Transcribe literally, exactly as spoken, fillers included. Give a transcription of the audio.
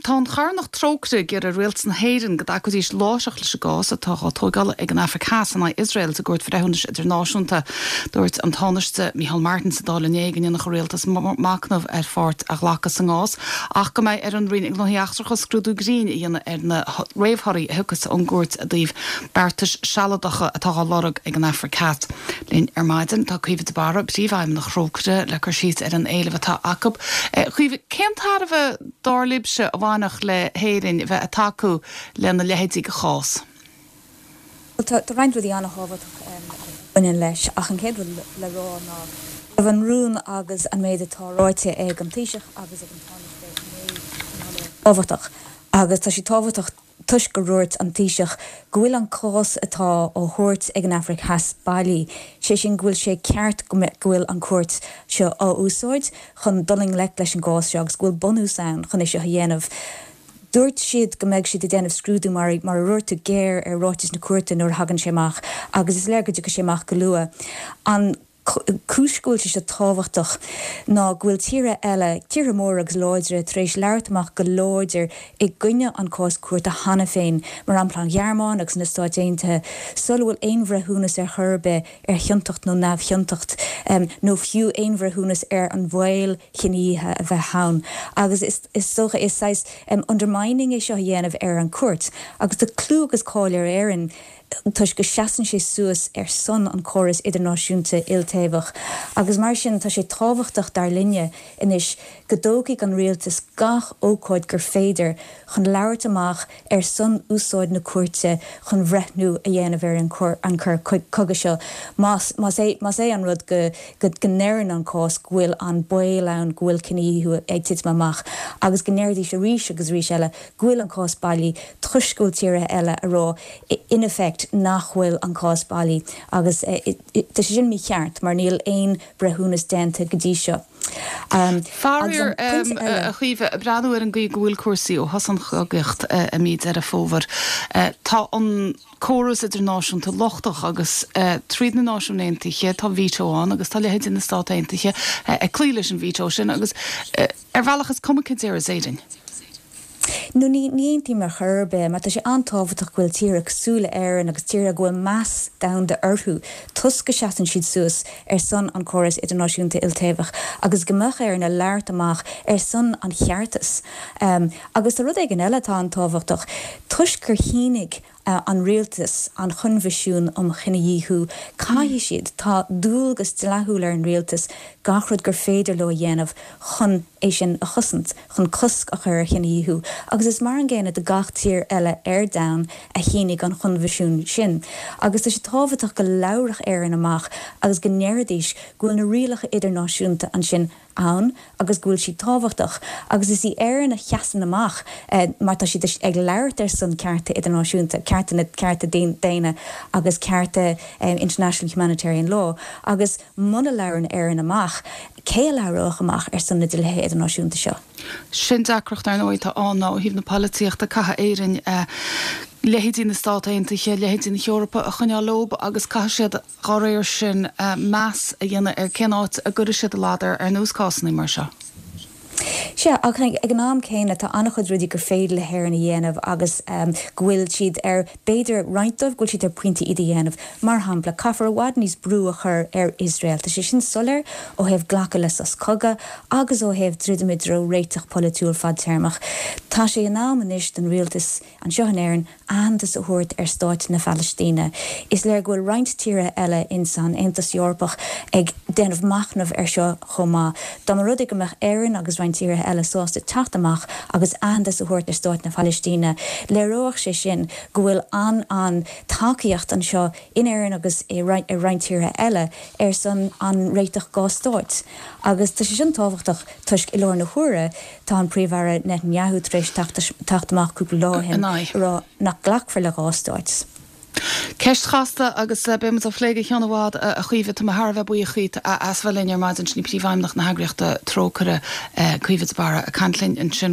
Tá an charthanacht Trócaire ag iarraidh ar Rialtas na hÉireann go dtacóidís láithreach leis an gcás atá á tógáil ag an Afraic Theas in aghaidh Iosrael sa gCúirt Bhreithiúnais Idirnáisiúnta. Dúirt an Tánaiste Micheál Martin sa Dáil inné go ndéanfadh an Rialtas machnamh ar pháirt a ghlacadh sa gcás ach go mbeidh ar an Roinn Gnóthaí Eachtracha scrúdú grinn a dhéanamh ar na réamhthorthaí a thiocfas ón gcúirt i dtaobh beartais sealadacha atá á lorg ag an Afraic Theas. Linn ar maidin tá Caoimhe de Barra, Príomhfheidhmeannach Thrócaire le cur síos ar an éileamh atá acu. Caoimhe, cén tairbhe dar libhse a bhainfeadh le hÉirinn bheith ag tacú lena leithéidí de chás? Tá roinnt rudaí an-thábhachtach a bhaineann leis ach an chéad rud le rá ná raibh an rún agus an méid atá ráite ag an Taoiseach agus ag an Tánaiste tábhachtach agus tá sé tábhachtach toisc gur dhúirt an Taoiseach go bhfuil an cás atá á thabhairt ag an Afraic Theas bailí, sé sin go bhfuil sé ceart go bhfuil an cúirt seo á úsáid chun dul i ngleic leis an gcás seo agus go bhfuil bunús ann chun é seo a dhéanamh. Dúirt siad go mbeidh siad ag déanamh scrúdú mar mar a dúirt tú géar ar ráiteas na cúirte nuair a thagann sé amach agus is léir go dtiocfaidh sé amach go luath. An cúis go bhfuil sé seo tábhachtach ná go bhfuil tíortha eile, tíortha móra agus láidre tar éis labhairt amach go láidir i gcoinne an cás cúirte cheana féin, mar shampla an Ghearmáin agus na Stáit Aontaithe, sula bhfuil aon bhreithiúnas ar chor ar bith ar chiontacht nó neamhchiontacht nó fiú aon bhreithiúnas ar an bhaol cinedhíothaithe a bheith ann. Agus is is dócha is saghas undermining é seo a dhéanamh ar an cúirt. Agus tá clú agus cáil ar Éirinn toisc go seasann sé suas ar son an córas idirnáisiúnta iltaobhach. Agus mar sin tá sé tábhachtach dar linne anois go dtógfaidh an rialtas gach ócáid gur féidir chun labhairt amach ar son úsáid na cúirte chun breithniú a dhéanamh ar an an cur cogadh seo. Más más é más é an rud go go go ndeireann an cás go bhfuil an baol ann go bhfuil cinedhíothú ag titim amach agus go ndéarfaidís arís agus arís eile go bhfuil an cás bailí toisc go bhfuil tíortha eile ag rá in effect nach bhfuil an cás bailí agus tá sé sin mícheart mar níl aon breithiúnas déanta go dtí seo. Um, Faraor a Chaoimhe breathnú ar an gcaoi go bhfuil cúrsaí ó thosaigh an chogaíocht i mí Deireadh Fómhair. Tá an córas idirnáisiúnta lochtach agus tríd na Náisiúin Aontaithe tá veto ann agus tá leithéidí na Stát Aontaithe ag cloí leis an veto sin agus ar bhealach is cuma cad a deir Éirinn. No ní ní mar churbe, mar tá sé an-tábhachtach go bhfuil tíortha cosúil le Éirinn agus tíortha go bhfuil meas domhanda orthu toisc go seasann siad suas ar son an córas idirnáisiúnta iltaobhach agus go mbeadh Éirinn ag labhairt amach ar son an cheartais. Um, agus tá rud éigin eile atá an-tábhachtach toisc gur shínigh uh, an rialtas an Choinbhinsiún um Chinedhíothú caithfidh siad tá dualgas dlíthiúil ar an rialtas gach rud gur féidir leo a dhéanamh chun é sin a chosaint, chun cosc a chur ar chinedhíothú, agus is mar an gcéanna do gach tír eile ar domhan a shínigh an Choinbhinsiún sin. Agus tá sé tábhachtach go labhródh Éirinn amach agus go ndéarfaidís go bhfuil na rialacha idirnáisiúnta ansin ann agus go bhfuil siad tábhachtach, agus is í Éirinn a sheasann amach eh, mar tá siad ag labhairt ar son cearta idirnáisiúnta, cearta na cearta daonna agus cearta um, international humanitarian law, agus muna labhrann Éirinn amach, cé a labhródh amach ar son na dlíthe idirnáisiúnta seo. Sin deacracht ar ndóigh atá ann ó thaobh na polaitíochta caithfidh Éirinn uh, leithéidí na Stát Aontaithe leithéidí na hEorpa a choinneáil leo agus caithfidh siad dá réir sin uh, meas a dhéanamh ar cén áit a gcuirfidh siad a ladar ar nós cásanna mar seo. Sea ach ag an am céanna tá an-chuid rudaí gur féidir le hÉirinn a dhéanamh agus um, go bhfuil siad ar b'fhéidir roinnt dóibh go bhfuil siad ar pointe iad a dhéanamh. Mar shampla caithfear i bhfad níos brú a chur ar Iosrael. Tá sé sin soiléir ó thaobh glacadh le sos cogaidh agus ó thaobh druidim i dtreo réiteach polaitiúil fadtéarmach. Tá sé in am anois don rialtas anseo in Éirinn aitheantas a thabhairt ar stáit na Palaistíne. Is léir go bhfuil roinnt tíortha eile in san Aontas Eorpach ag déanamh machnamh ar seo chomh maith. Dá mba rud go mbeadh Éirinn agus roinnt tíortha eile sásta teacht amach agus aitheantas a thabhairt ar stáit na Palaistíne. Léireodh sé sin go bhfuil an an tacaíocht anseo in Éirinn agus i roinnt tíortha eile ar son an réiteach dhá stáit. Agus tá sé sin tábhachtach toisc i láthair na huaire tá an Príomh-Aire Netanyahu tar éis teacht amach cúpla lá rá nach nglacfar le dhá stáit. Ceist chasta agus eh, beimid á plé go ceann i bhfad a Chaoimhe tá mé thar a bheith buíoch díot as bheith linn ar maidin sin í Príomhfheidhmeannach na heagraíochta Trócaire Caoimhe de Barra ag caint linn ansin.